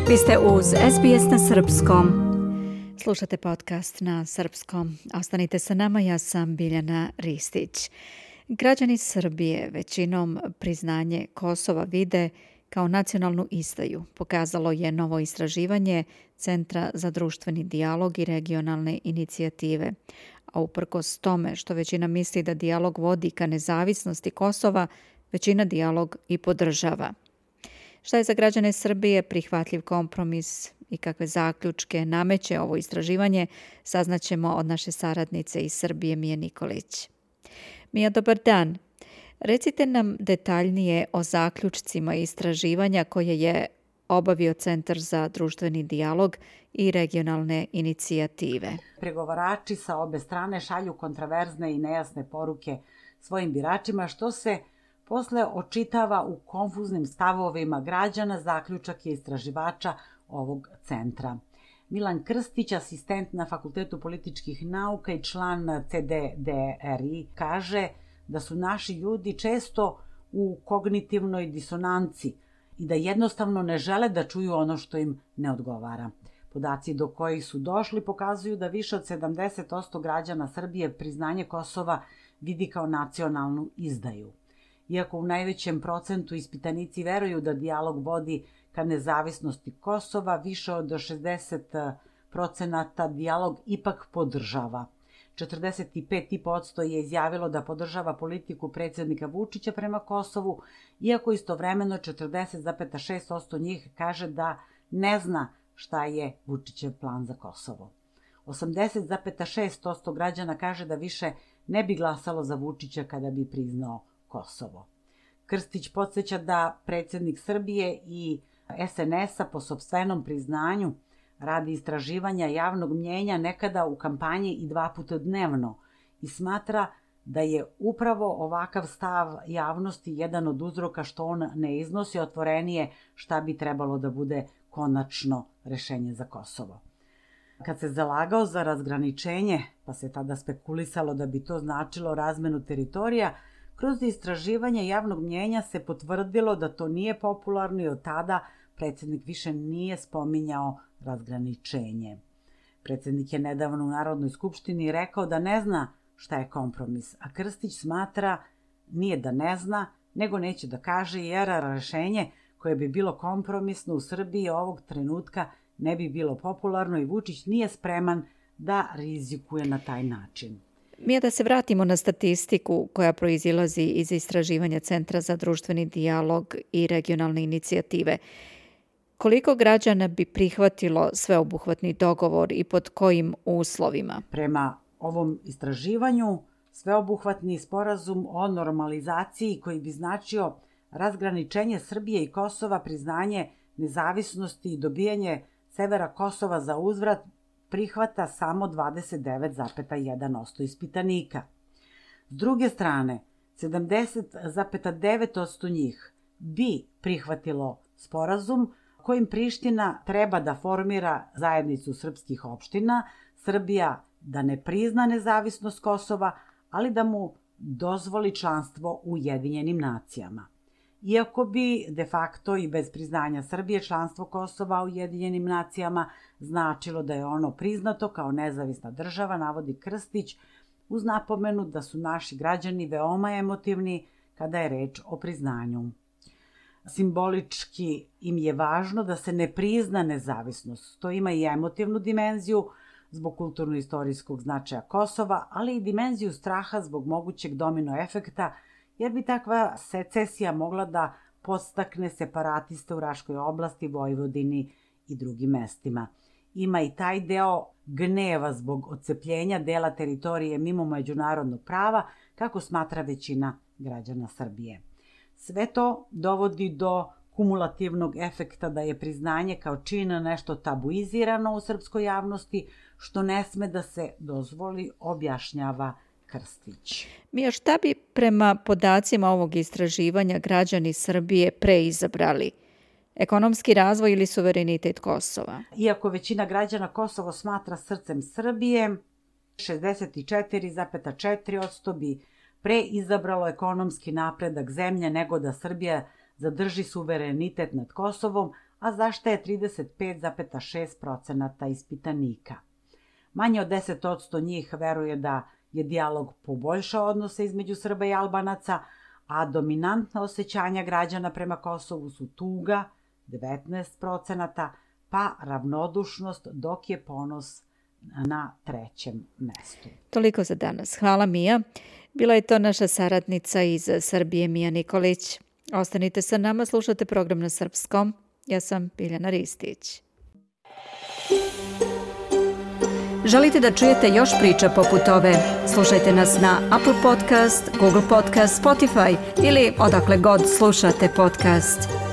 Vi ste uz SBS na srpskom. Slušate podcast na srpskom. Ostanite sa nama, ja sam Biljana Ristić. Građani Srbije većinom priznanje Kosova vide kao nacionalnu izdaju, pokazalo je novo istraživanje Centra za društveni dijalog i regionalne inicijative. A uprkos tome što većina misli da dijalog vodi ka nezavisnosti Kosova, većina dijalog i podržava. Šta je za građane Srbije prihvatljiv kompromis i kakve zaključke nameće ovo istraživanje, saznaćemo od naše saradnice iz Srbije, Mije Nikolić. Mija, dobar dan. Recite nam detaljnije o zaključcima istraživanja koje je obavio Centar za društveni dijalog i regionalne inicijative. Pregovarači sa obe strane šalju kontraverzne i nejasne poruke svojim biračima, što se posle očitava u konfuznim stavovima građana, zaključak je istraživača ovog centra. Milan Krstić, asistent na Fakultetu političkih nauka i član CDDRI, kaže da su naši ljudi često u kognitivnoj disonanci i da jednostavno ne žele da čuju ono što im ne odgovara. Podaci do kojih su došli pokazuju da više od 70% građana Srbije priznanje Kosova vidi kao nacionalnu izdaju. Iako u najvećem procentu ispitanici veruju da dijalog vodi ka nezavisnosti Kosova, više od 60% dijalog ipak podržava. 45% je izjavilo da podržava politiku predsjednika Vučića prema Kosovu, iako istovremeno 40,6% njih kaže da ne zna šta je Vučićev plan za Kosovo. 80,6% građana kaže da više ne bi glasalo za Vučića kada bi priznao Kosovo. Krstić podsjeća da predsjednik Srbije i SNS-a po sopstvenom priznanju radi istraživanja javnog mnjenja nekada u kampanji i 2 puta dnevno i smatra da je upravo ovakav stav javnosti jedan od uzroka što on ne iznosi otvorenije šta bi trebalo da bude konačno rešenje za Kosovo. Kad se zalagao za razgraničenje, pa se tada spekulisalo da bi to značilo razmenu teritorija, kroz istraživanje javnog mnjenja se potvrdilo da to nije popularno i od tada predsjednik više nije spominjao razgraničenje. Predsjednik je nedavno u Narodnoj skupštini rekao da ne zna šta je kompromis, a Krstić smatra nije da ne zna, nego neće da kaže jer rešenje koje bi bilo kompromisno u Srbiji ovog trenutka ne bi bilo popularno i Vučić nije spreman da rizikuje na taj način. Mija, da se vratimo na statistiku koja proizilazi iz istraživanja Centra za društveni dijalog i regionalne inicijative. Koliko građana bi prihvatilo sveobuhvatni dogovor i pod kojim uslovima? Prema ovom istraživanju, sveobuhvatni sporazum o normalizaciji koji bi značio razgraničenje Srbije i Kosova, priznanje nezavisnosti i dobijanje severa Kosova za uzvrat prihvata samo 29,1% ispitanika. S druge strane, 70,9% njih bi prihvatilo sporazum kojim Priština treba da formira zajednicu srpskih opština, Srbija da ne prizna nezavisnost Kosova, ali da mu dozvoli članstvo u Ujedinjenim nacijama. Iako bi de facto i bez priznanja Srbije članstvo Kosova u Ujedinjenim nacijama značilo da je ono priznato kao nezavisna država, navodi Krstić, uz napomenu da su naši građani veoma emotivni kada je reč o priznanju. Simbolički im je važno da se ne prizna nezavisnost. To ima i emotivnu dimenziju zbog kulturno-istorijskog značaja Kosova, ali i dimenziju straha zbog mogućeg domino efekta, jer bi takva secesija mogla da podstakne separatiste u Raškoj oblasti, Vojvodini i drugim mestima. Ima i taj deo gneva zbog odcepljenja dela teritorije mimo međunarodnog prava, kako smatra većina građana Srbije. Sve to dovodi do kumulativnog efekta da je priznanje kao čin nešto tabuizirano u srpskoj javnosti, što ne sme da se dozvoli, objašnjava Krstić. Mija, šta bi prema podacima ovog istraživanja građani Srbije preizabrali? Ekonomski razvoj ili suverenitet Kosova? Iako većina građana Kosovo smatra srcem Srbije, 64,4% bi preizabralo ekonomski napredak zemlje nego da Srbija zadrži suverenitet nad Kosovom, a za što je 35,6% ispitanika. Manje od 10% njih veruje da je dijalog poboljšao odnose između Srba i Albanaca, a dominantna osjećanja građana prema Kosovu su tuga, 19%, pa ravnodušnost, dok je ponos na 3. mestu. Toliko za danas. Hvala, Mija. Bila je to naša saradnica iz Srbije, Mija Nikolić. Ostanite sa nama, slušate program na srpskom. Ja sam Biljana Ristić. Želite da čujete još priča poput ove? Slušajte nas na Apple Podcast, Google Podcast, Spotify ili odakle god slušate podcast.